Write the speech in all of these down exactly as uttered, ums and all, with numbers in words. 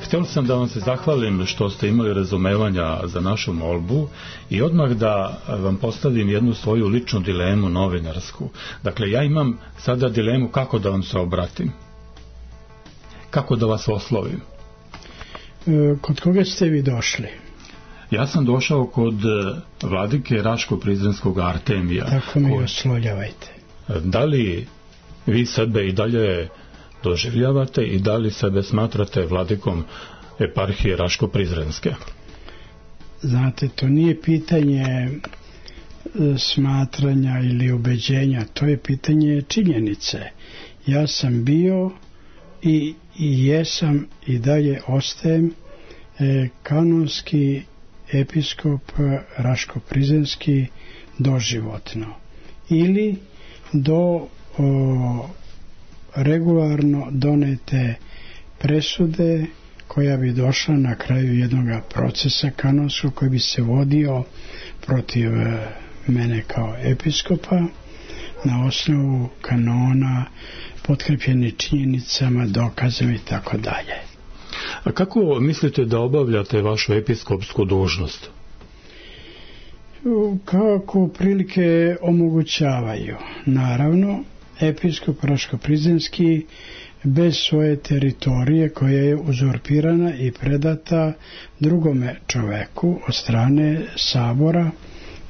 htio sam da vam se zahvalim što ste imali razumevanja za našu molbu i odmah da vam postavim jednu svoju ličnu dilemu novinarsku. Dakle, ja imam sada dilemu kako da vam se obratim. Kako da vas oslovim? Kod koga ste vi došli? Ja sam došao kod vladike Raško-Prizrenskog Artemija. Tako mi oslovljavajte. Da li vi sebe i dalje doživljavate i da li sebe smatrate vladikom eparhije Raško-Prizrenske? Znate, to nije pitanje smatranja ili ubeđenja, to je pitanje činjenice. Ja sam bio i, i jesam i dalje ostajem e, kanonski episkop Raško-Prizrenski doživotno ili do o, regularno donete presude koja bi došla na kraju jednog procesa kanonskog koji bi se vodio protiv mene kao episkopa na osnovu kanona potkrepljeni činjenicama, dokazama i tako dalje. A kako mislite da obavljate vašu episkopsku dužnost? Kako prilike omogućavaju. Naravno, episkop Raško-Prizrenski bez svoje teritorije koja je uzurpirana i predata drugome čoveku od strane sabora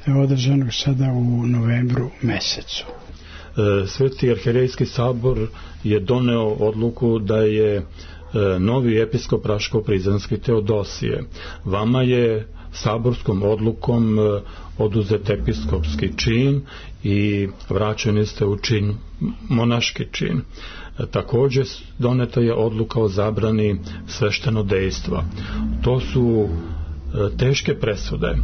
održanog sada u novembru mesecu. Sveti arhijerejski sabor je doneo odluku da je novi episkop Raško-Prizrenski Teodosije. Vama je saborskom odlukom oduzet episkopski čin i vraćeni ste u čin, monaški čin. Također doneta je odluka o zabrani sveštenodejstva. To su teške presude.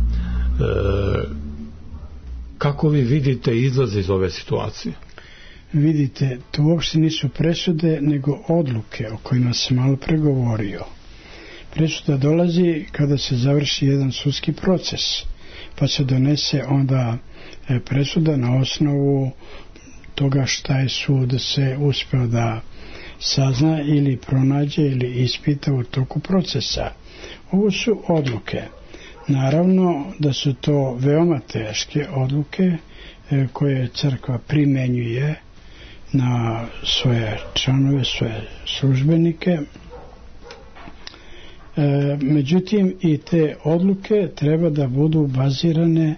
Kako vi vidite izlaz iz ove situacije? Vidite, to uopšte nisu presude, nego odluke o kojima sam malo pregovorio. Presuda dolazi kada se završi jedan sudski proces, pa se donese onda presuda na osnovu toga šta je sud se uspeo da sazna ili pronađe ili ispita u toku procesa. Ovo su odluke. Naravno da su to veoma teške odluke koje crkva primenjuje na svoje članove, svoje službenike. E, međutim, i te odluke treba da budu bazirane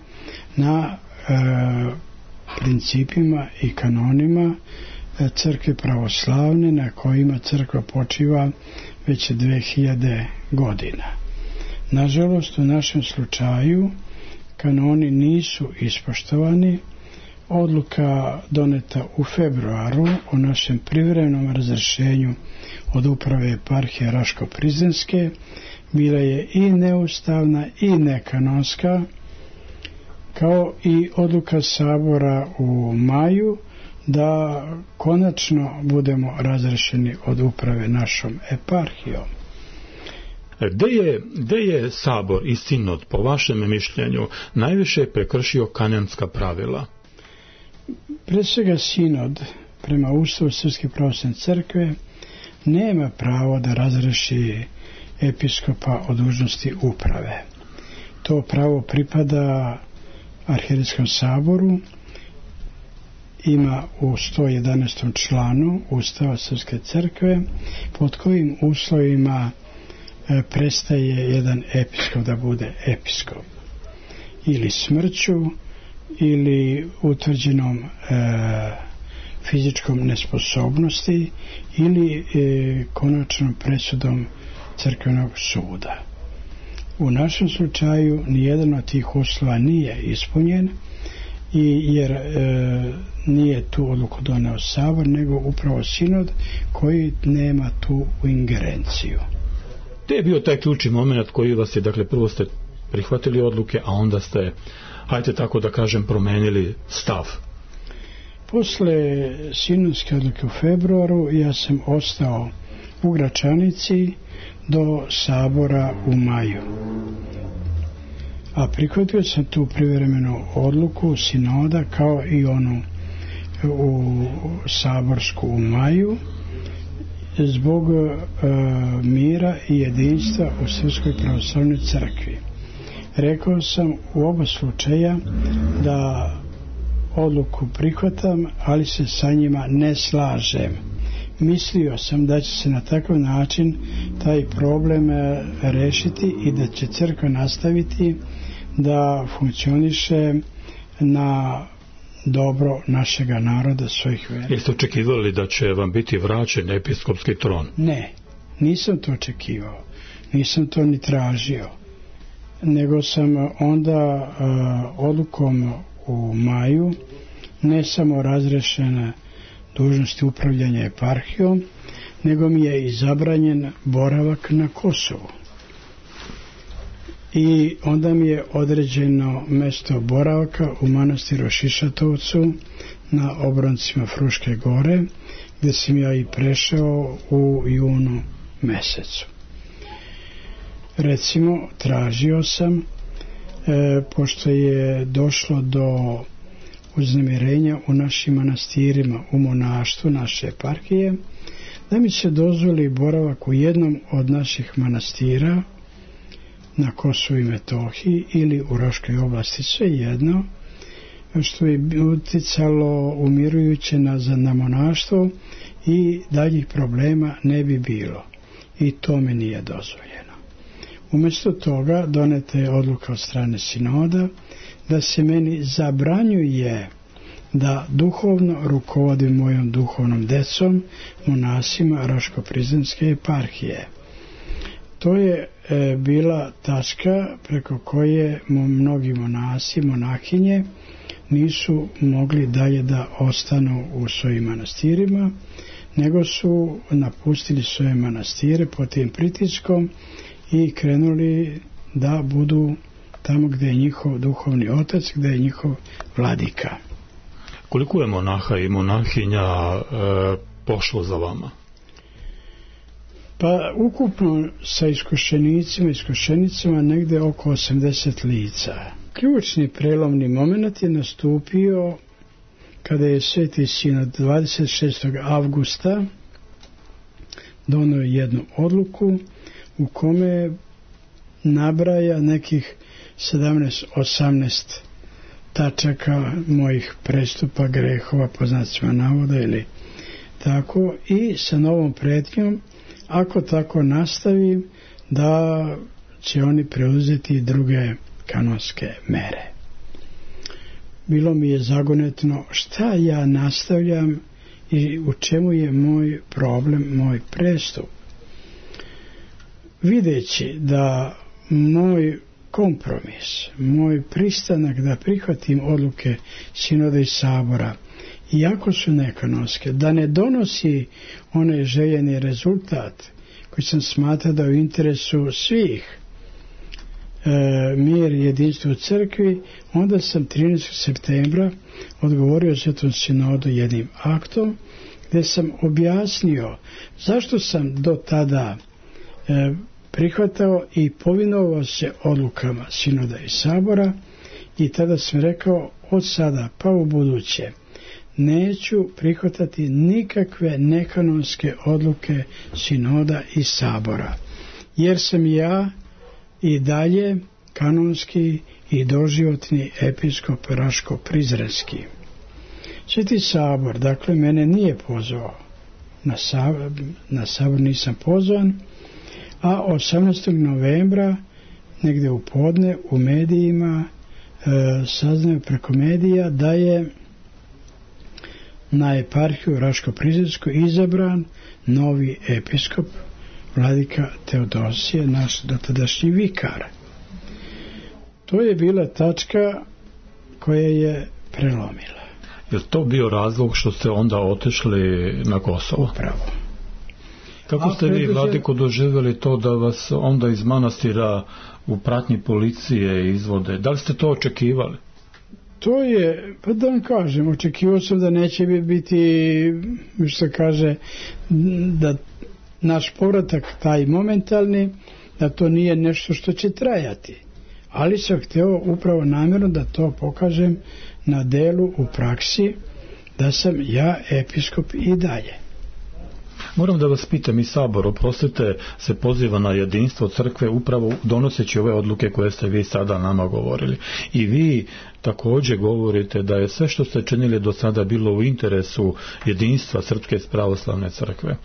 na e, principima i kanonima crkve pravoslavne na kojima crkva počiva već dve hiljade godina. Nažalost, u našem slučaju kanoni nisu ispoštovani. Odluka doneta u februaru o našem privremenom razrješenju od uprave eparhije Raško-Prizrenske bila je i neustavna i nekanonska, kao i odluka sabora u maju da konačno budemo razrješeni od uprave našom eparhijom. Gde je, gde je sabor i sinod, po vašem mišljenju, najviše prekršio kanonska pravila? Pre svega sinod, prema Ustavu Srpske pravoslavne crkve, nema pravo da razreši episkopa od dužnosti uprave. To pravo pripada Arhijerejskom saboru, ima u sto jedanaestom članu Ustava Srpske crkve, pod kojim uslovima e, prestaje jedan episkop da bude episkop. Ili smrću, ili utvrđenom e, fizičkom nesposobnosti, ili e, konačnom presudom crkvenog suda. U našem slučaju nijedan od tih uslova nije ispunjen, i jer e, nije tu odluku doneo sabor, nego upravo sinod koji nema tu ingerenciju. Gde je bio taj ključni moment koji vas je, dakle, prvo ste prihvatili odluke, a onda ste, hajte tako da kažem, promenili stav? Posle sinodske odluke u februaru ja sam ostao u Gračanici do sabora u maju. A prihvatio sam tu privremenu odluku sinoda kao i onu u saborsku u maju, zbog uh, mira i jedinstva u Srpskoj pravoslavnoj crkvi. Rekao sam u oba slučaja da odluku prihvatam, ali se sa njima ne slažem. Mislio sam da će se na takav način taj problem rešiti i da će crkva nastaviti da funkcioniše na dobro našega naroda, svojih vera. Jeste očekivali da će vam biti vraćen episkopski tron? Ne, nisam to očekivao. Nisam to ni tražio. Nego sam onda uh, odlukom u maju ne samo razrešena dužnosti upravljanja eparhijom, nego mi je i zabranjen boravak na Kosovu. I onda mi je određeno mesto boravaka u manastiru Šišatovcu na obroncima Fruške gore, gdje sam ja i prešao u junu mesecu. Recimo, tražio sam, e, pošto je došlo do uznemirenja u našim manastirima, u monaštvu naše eparhije, da mi se dozvoli boravak u jednom od naših manastira na Kosovu i Metohiji ili u Raškoj oblasti, sve jedno, što je uticalo umirujuće na, na monaštvo i daljih problema ne bi bilo. I to mi nije dozvoljeno. Umjesto toga doneta je odluka od strane sinoda da se meni zabranjuje da duhovno rukovodim mojom duhovnom decom, monasima Raško-Prizrenske eparhije. To je e, bila tačka preko koje mnogi monasi, monahinje nisu mogli dalje da ostanu u svojim manastirima, nego su napustili svoje manastire pod tim pritiskom i krenuli da budu tamo gdje je njihov duhovni otac, gdje je njihov vladika. Koliko je monaha i monahinja e, pošlo za vama? Pa ukupno sa iskušenicima i iskušenicama negde oko osamdeset lica. Ključni prelomni moment je nastupio kada je Sveti Sinod dvadeset šestog avgusta donio jednu odluku u kome nabraja nekih sedamnaest osamnaest tačaka mojih prestupa, grehova, po znacima navoda ili tako, i sa novom pretnjom, ako tako nastavim, da će oni preuzeti druge kanonske mere. Bilo mi je zagonetno šta ja nastavljam i u čemu je moj problem, moj prestup. Videći da moj kompromis, moj pristanak da prihvatim odluke sinoda i sabora, iako su nekanonske, da ne donosi onaj željeni rezultat koji sam smatrao da je u interesu svih, e, mir i jedinstvo u crkvi, onda sam trinaestog septembra odgovorio Svetom sinodu jednim aktom gdje sam objasnio zašto sam do tada e, prihvatao i povinovao se odlukama sinoda i sabora, i tada sam rekao od sada pa u buduće neću prihvatati nikakve nekanonske odluke sinoda i sabora, jer sam ja i dalje kanonski i doživotni episkop Raško-Prizrenski. Sveti sabor, dakle, mene nije pozvao na sabor, na sabor nisam pozvan, a osamnaestog novembra negdje u podne u medijima e, saznaju preko medija da je na eparhiju Raško-Prizrensku izabran novi episkop, vladika Teodosije, naš dotadašnji vikar. To je bila tačka koja je prelomila. Je to bio razlog što ste onda otišli na Kosovo? Pravo. Kako ste vi, vladiko, doživjeli to da vas onda iz manastira u pratnji policije izvode? Da li ste to očekivali? To je, pa da vam kažem, očekivao sam da neće biti, što kaže, da naš povratak taj momentalni, da to nije nešto što će trajati. Ali sam htio upravo namjerno da to pokažem na delu, u praksi, da sam ja episkop i dalje. Moram da vas pitam, i Sabor, oprostite, se poziva na jedinstvo crkve upravo donoseći ove odluke koje ste vi sada nama govorili. I vi također govorite da je sve što ste činili do sada bilo u interesu jedinstva Srpske pravoslavne crkve.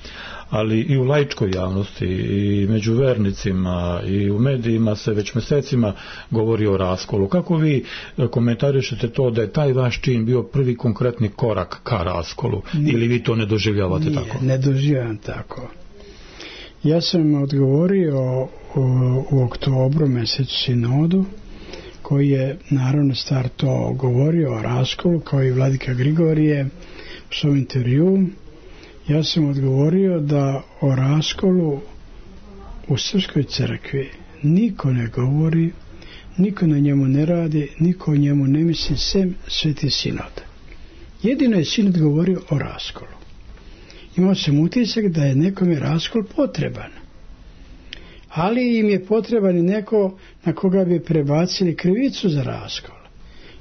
Ali i u laičkoj javnosti, i među vernicima, i u medijima se već mjesecima govori o raskolu. Kako vi komentarišete to da je taj vaš čin bio prvi konkretni korak ka raskolu? Nije, ili vi to ne doživljavate nije, tako? Ne doživljavam tako. Ja sam odgovorio u, u oktobru mjesecu sinodu, koji je naravno star to govorio o raskolu, kao i vladika Grigorije u svom intervju. Ja sam odgovorio da o raskolu u Srpskoj crkvi niko ne govori, niko na njemu ne radi, niko o njemu ne misli, sem Sveti sinod. Jedino je sinod govorio o raskolu. Imao sam utisak da je nekome raskol potreban. Ali im je potreban i neko na koga bi prebacili krivicu za raskol.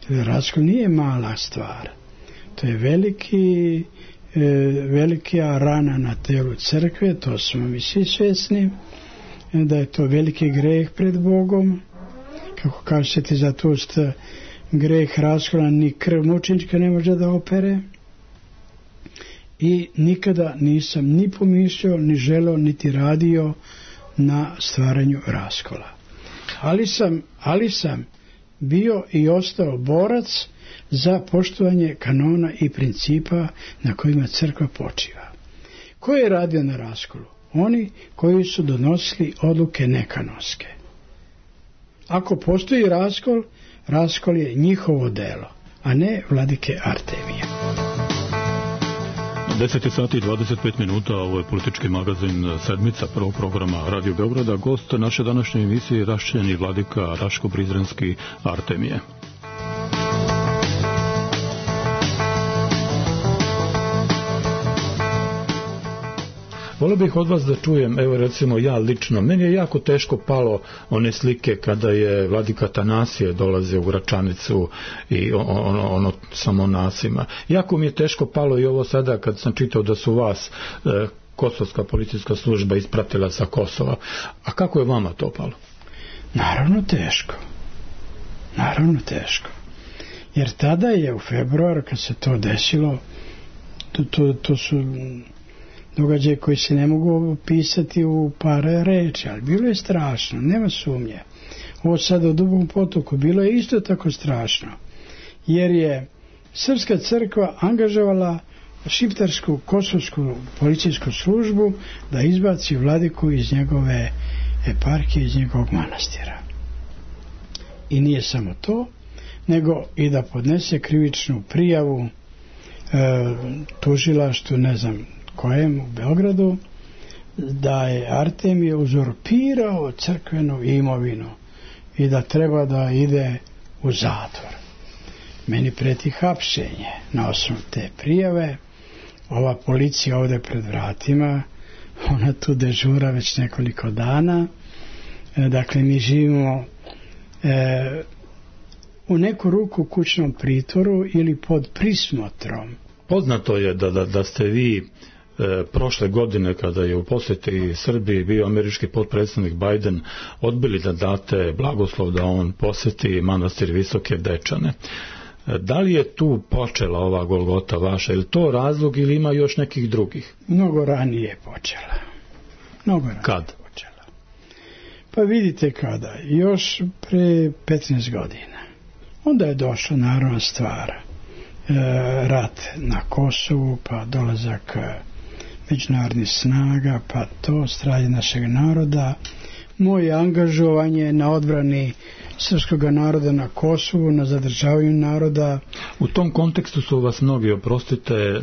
Jer raskol nije mala stvar. To je veliki, e, velika rana na telu crkve, to smo mi svi svjesni, da je to veliki greh pred Bogom. Kako kažete za to što greh raskola ni krv mučenička ne može da opere. I nikada nisam ni pomišljao, ni želeo, niti radio na stvaranju raskola. Ali sam, ali sam bio i ostao borac za poštovanje kanona i principa na kojima crkva počiva. Ko je radio na raskolu? Oni koji su donosili odluke nekanonske. Ako postoji raskol, raskol je njihovo delo, a ne vladike Artemije. deset sati i dvadeset pet minuta, ovo je politički magazin Sedmica prvog programa Radio Beograda. Gost naše današnje emisije rašćeni vladika Raško-Prizrenski Artemije. Volio bih od vas da čujem, evo recimo ja lično, meni je jako teško palo one slike kada je vladika Tanasije dolazio u Gračanicu i ono, ono sa monasima. Jako mi je teško palo i ovo sada kad sam čitao da su vas e, kosovska policijska služba ispratila sa Kosova. A kako je vama to palo? Naravno teško. Naravno teško. Jer tada je u februaru kad se to desilo, to, to, to su događaje koji se ne mogu opisati u par reči, ali bilo je strašno, nema sumnje. Ovo sada u Dugom Potoku bilo je isto tako strašno, jer je Srpska crkva angažovala šiptarsku kosovsku policijsku službu da izbaci vladiku iz njegove eparhije, iz njegovog manastira. I nije samo to, nego i da podnese krivičnu prijavu e, tužilaštvu, ne znam kojem, u Beogradu, da je Artemije uzurpirao crkvenu imovinu i da treba da ide u zatvor. Meni preti hapšenje na osnovu te prijave. Ova policija ovdje pred vratima, ona tu dežura već nekoliko dana. E, dakle, mi živimo e, u neku ruku kućnom pritvoru ili pod prismotrom. Poznato je da, da, da ste vi E, prošle godine kada je u posjeti Srbiji bio američki potpredsjednik Biden odbili da date blagoslov da on posjeti manastir Visoke Dečane. E, da li je tu počela ova Golgota vaša? Je li to razlog ili ima još nekih drugih? Mnogo ranije počela. Mnogo ranije Kad? počela. Pa vidite kada. Još pre petnaest godina. Onda je došla naravno stvar. E, rat na Kosovu, pa dolazak međunarodnih snaga, pa to stradanje našeg naroda, moje angažovanje na odbrani srpskog naroda na Kosovu, na zadržavanju naroda. U tom kontekstu su vas mnogi, oprostite,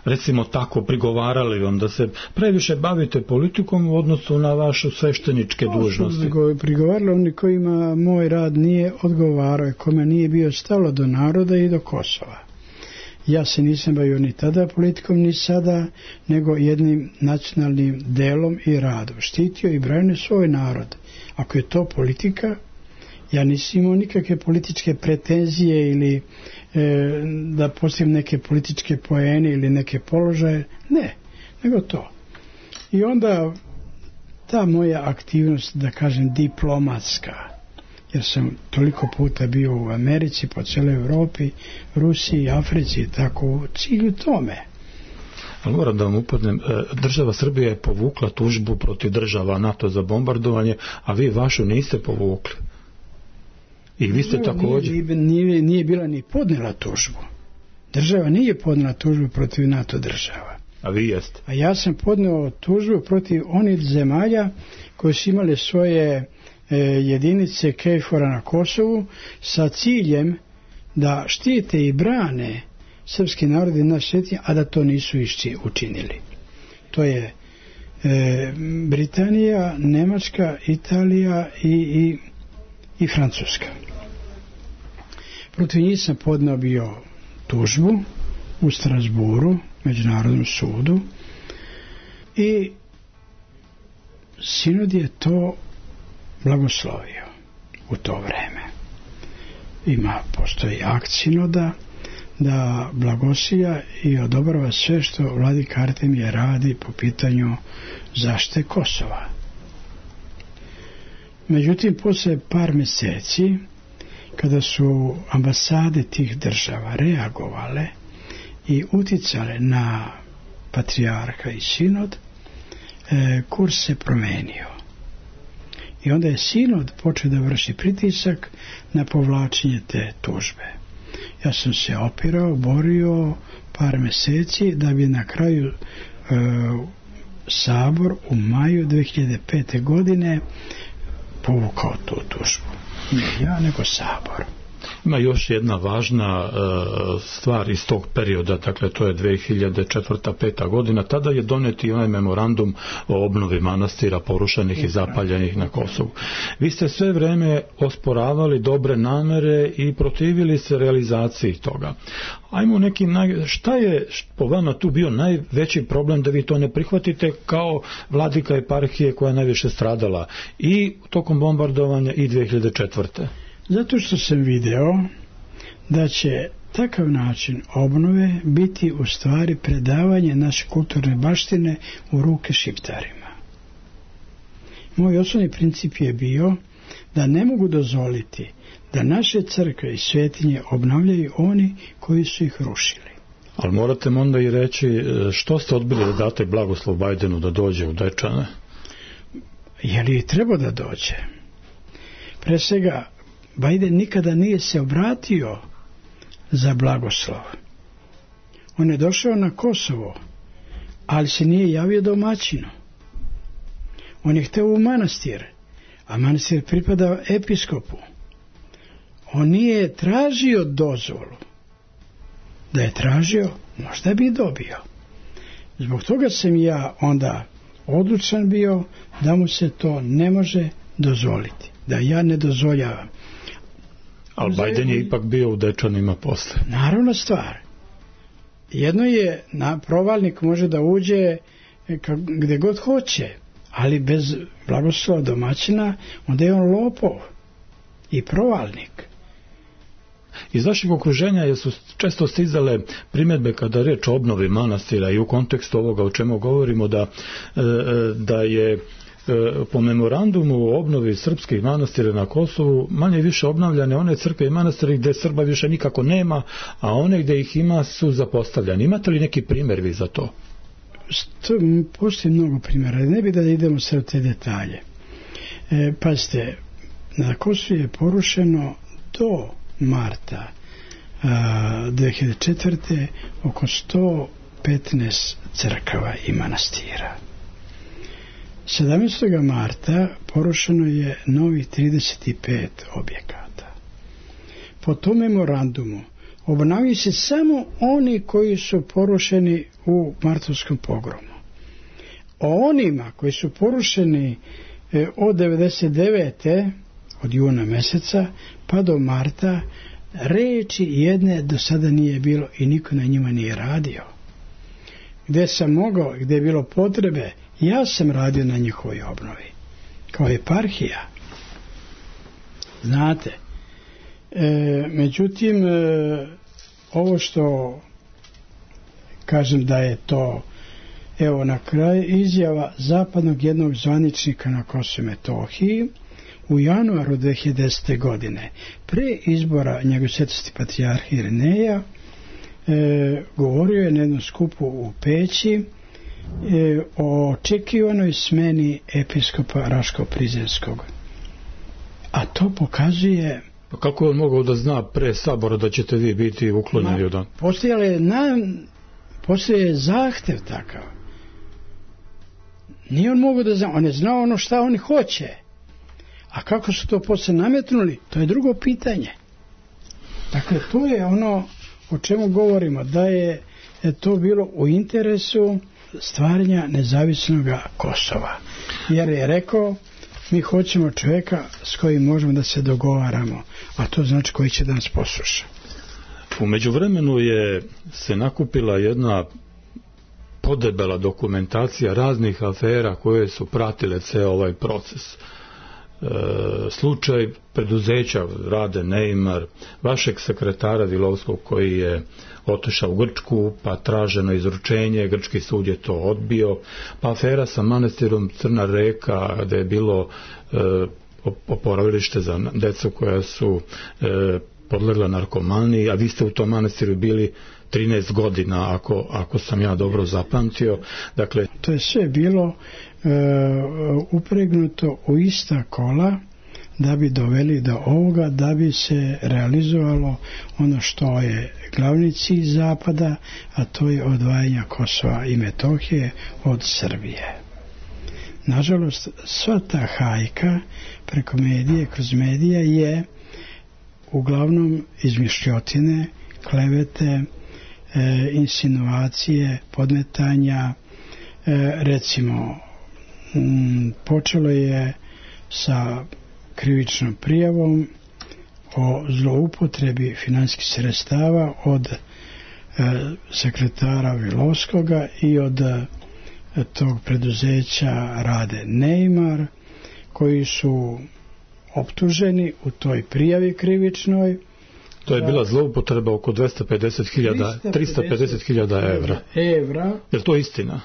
recimo tako prigovarali vam da se previše bavite politikom u odnosu na vaše svešteničke dužnosti. Prigovarali oni kojima moj rad nije odgovarao, kome nije bio stalo do naroda i do Kosova. Ja se nisam bavio ni tada politikom, ni sada, nego jednim nacionalnim delom i radom. Štitio i branio svoj narod. Ako je to politika, ja nisam imao nikakve političke pretenzije ili e, da postavim neke političke poene ili neke položaje. Ne. nego to. I onda ta moja aktivnost, da kažem, diplomatska, jer sam toliko puta bio u Americi, po cijeloj Europi, Rusiji, Africi, tako u cilju tome. Ali moram da vam upadnem, država Srbija je povukla tužbu protiv država NATO za bombardovanje, a vi vašu niste povukli. I vi ste također... Nije, nije, nije bila ni podnijela tužbu. Država nije podnijela tužbu protiv NATO država. A vi jeste? A ja sam podnio tužbu protiv onih zemalja koji su imali svoje e, jedinice KFOR-a na Kosovu sa ciljem da štite i brane srpski narod i naš svijet, a da to nisu išći učinili. To je e, Britanija, Nemačka, Italija i, i, i Francuska. Protiv njih sam podneo bio tužbu u Strasburu, Međunarodnom sudu, i sinod je to blagoslovio u to vreme. Ima, postoji akt sinoda da blagoslivlja i odobrava sve što vladika Artemije radi po pitanju zaštite Kosova. Međutim, posle par mjeseci, kada su ambasade tih država reagovale i uticale na patrijarha i sinod, e, kurs se promenio. I onda je sinod počeo da vrši pritisak na povlačenje te tužbe. Ja sam se opirao, borio par mjeseci da bi na kraju e, Sabor u maju dve hiljade pete. godine povukao tu tužbu. Ne ja, nego Sabor. Ima još jedna važna uh, stvar iz tog perioda, dakle to je dve hiljade četvrta peta. godina, tada je donet i onaj memorandum o obnovi manastira porušenih i zapaljenih na Kosovu. Vi ste sve vreme osporavali dobre namere i protivili se realizaciji toga. Ajmo nekim, naj... šta je po vama tu bio najveći problem da vi to ne prihvatite kao vladika eparhije koja je najviše stradala i tokom bombardovanja i dve hiljade četvrte. Zato što sam video da će takav način obnove biti u stvari predavanje naše kulturne baštine u ruke Šiptarima. Moj osnovni princip je bio da ne mogu dozvoliti da naše crkve i svetinje obnavljaju oni koji su ih rušili. Ali morate mu onda i reći što ste odbili da date blagoslov Bajdenu da dođe u Dečane? Je li trebao da dođe? Pre svega, Bajden nikada nije se obratio za blagoslov. On je došao na Kosovo, ali se nije javio domaćinu. On je hteo u manastir, a manastir pripada episkopu. On nije tražio dozvolu. Da je tražio, možda bi dobio. Zbog toga sam ja onda odlučan bio da mu se to ne može dozvoliti. Da ja ne dozvoljavam. Ali Bajden je ipak bio u Dečanima posle. Naravno stvar. Jedno je, na provalnik može da uđe gde god hoće, ali bez blagoslova domaćina, onda je on lopov i provalnik. Iz vašeg okruženja je su često stizale primjedbe kada je reč o obnovi manastira i u kontekstu ovoga o čemu govorimo da, da je po memorandumu o obnovi srpskih manastira na Kosovu manje više obnavljane one crkve i manastiri gdje Srba više nikako nema, a one gdje ih ima su zapostavljani. Imate li neki primjer vi za to? Postoji mnogo primjera. Ne bi da idemo sve te detalje. E, pazite, na Kosovu je porušeno do marta a, dve hiljade četvrte. oko sto petnaest crkava i manastira. sedamnaestog marta porušeno je novih trideset pet objekata. Po tom memorandumu obnavljaju se samo oni koji su porušeni u martovskom pogromu. O onima koji su porušeni e, od devedeset devete. od juna meseca pa do marta reči jedne do sada nije bilo i niko na njima nije radio. Gde sam mogao, gde je bilo potrebe, ja sam radio na njihovoj obnovi kao eparhija. Znate, e, međutim e, ovo što kažem da je to Evo na kraju izjava zapadnog jednog zvaničnika na Kosovu i Metohiji u januaru dve hiljade desete. godine, pre izbora njegove svetosti patrijarha Irineja, e, govorio je na jednom skupu u Peći e, o očekivanoj smeni episkopa Raško-Prizrenskog. A to pokazuje... Pa kako je on mogao da zna pre sabora da ćete vi biti uklonjeni od on? Postojale na... Postoje zahtev takav. Nije on mogao da zna, on je znao ono šta oni hoće. A kako su to posle nametnuli, to je drugo pitanje. Dakle, to je ono o čemu govorimo, da je, je to bilo u interesu stvaranja nezavisnog Kosova. Jer je rekao, mi hoćemo čovjeka s kojim možemo da se dogovaramo, a to znači koji će da nas posluša. U međuvremenu je se nakupila jedna podebela dokumentacija raznih afera koje su pratile ceo ovaj proces. E, slučaj preduzeća Rade Neymar, vašeg sekretara Vilovskog koji je otišao u Grčku, pa traženo izručenje, grčki sud je to odbio, pa afera sa manastirom Crna Reka, gde je bilo e, oporavilište za decu koja su e, podlegla narkomaniji, a vi ste u tom manastiru bili trinaest godina, ako, ako sam ja dobro zapamtio. Dakle, to je sve bilo e, upregnuto u ista kola da bi doveli do ovoga, da bi se realizovalo ono što je glavni cilj Zapada, a to je odvajanje Kosova i Metohije od Srbije. Nažalost, sva ta hajka preko medije, kroz medija je uglavnom izmišljotine, klevete, e, insinuacije, podmetanja. E, recimo, m, počelo je sa krivičnom prijavom o zloupotrebi finansijskih sredstava od e, sekretara Vilovskoga i od e, tog preduzeća Rade Neymar, koji su optuženi u toj prijavi krivičnoj. To je bila zloupotreba oko dvesta pedeset hiljada, trista pedeset hiljada evra. Evra. Je li to istina?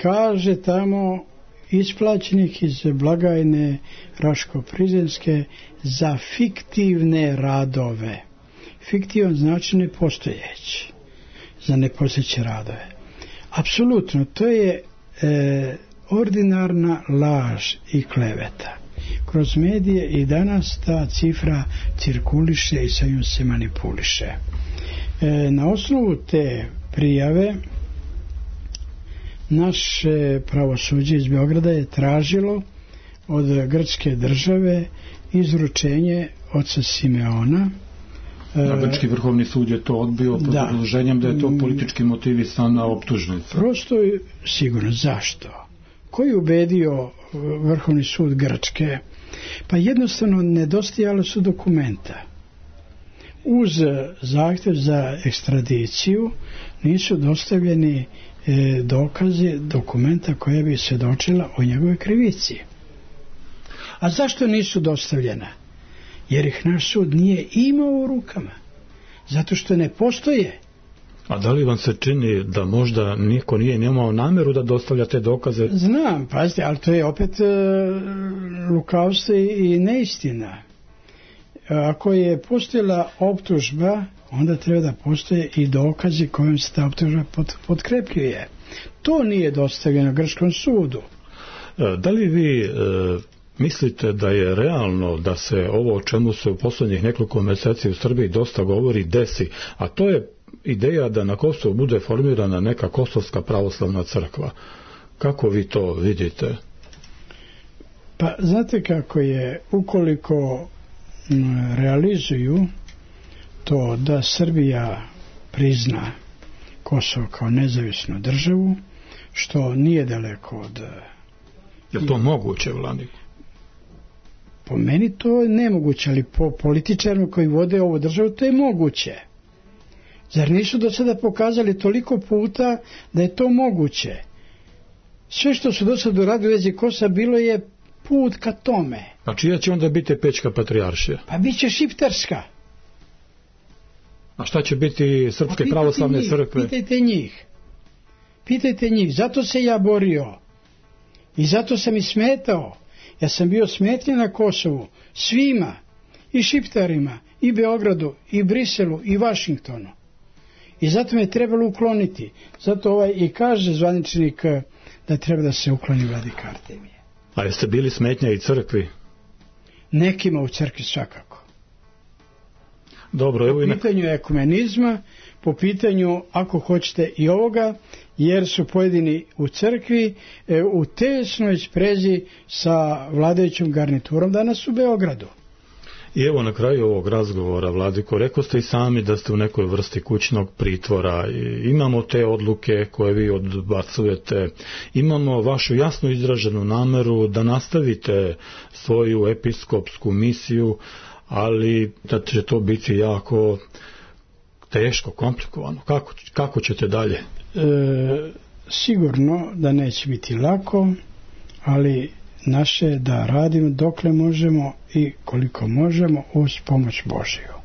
Kaže tamo isplaćenih iz blagajne Raško-Prizrenske za fiktivne radove. Fiktivan znači nepostojeći. Za nepostojeće radove. Apsolutno, to je e, ordinarna laž i kleveta. Kroz medije i danas ta cifra cirkuliše i sa njom se manipuliše. E, na osnovu te prijave naše pravosuđe iz Beograda je tražilo od grčke države izručenje oca Simeona. A grčki vrhovni sud je to odbio pod obrazloženjem da je to politički motivisana optužnica. Prosto sigurno. Zašto? Koji je ubedio vrhovni sud Grčke? Pa jednostavno nedostajalo su dokumenta. Uz zahtjev za ekstradiciju nisu dostavljeni e, dokazi, dokumenta koja bi svjedočila o njegove krivici. A zašto nisu dostavljena? Jer ih naš sud nije imao u rukama. Zato što ne postoje. A da li vam se čini da možda niko nije imao nameru da dostavlja te dokaze? Znam, pazite, ali to je opet e, lukavstvo i neistina. Ako je postojala optužba, onda treba da postoje i dokazi kojom se ta optužba pot, potkrepljuje. To nije dostavljeno grčkom sudu. E, da li vi e, mislite da je realno da se ovo o čemu se u posljednjih nekoliko mjeseci u Srbiji dosta govori desi, a to je ideja da na Kosovu bude formirana neka kosovska pravoslavna crkva? Kako vi to vidite? Pa znate kako je, ukoliko m, realizuju to da Srbija prizna Kosovo kao nezavisnu državu, što nije daleko od... Je li to moguće, Vladimir? Po meni to je nemoguće, ali po političarima koji vode ovu državu to je moguće. Zar nisu do sada pokazali toliko puta da je to moguće? Sve što su do sada uradili u vezi Kosova bilo je put ka tome. A čija će onda biti Pećka patrijaršija? Pa bit će šiptarska. A šta će biti Srpske pravoslavne njih, crkve? Pitajte njih. Pitajte njih, zato se ja borio i zato sam i smetao. Ja sam bio smetnja na Kosovu svima, i Šiptarima, i Beogradu, i Briselu, i Vašingtonu. I zato me trebalo ukloniti. Zato ovaj i kaže zvaničnik da treba da se ukloni vladika Artemije. A jeste bili smetnja i crkvi? Nekima u crkvi svakako. Dobro, evo i po pitanju ekumenizma, po pitanju, ako hoćete, i ovoga, jer su pojedini u crkvi e, u tesnoj sprezi sa vladajućom garniturom danas u Beogradu. I evo na kraju ovog razgovora, Vladiko, rekao ste i sami da ste u nekoj vrsti kućnog pritvora. I imamo te odluke koje vi odbacujete, imamo vašu jasno izraženu nameru da nastavite svoju episkopsku misiju, ali da će to biti jako teško, komplikovano. Kako, kako ćete dalje? E, sigurno da neće biti lako, ali naše da radimo dokle možemo i koliko možemo uz pomoć Božiju.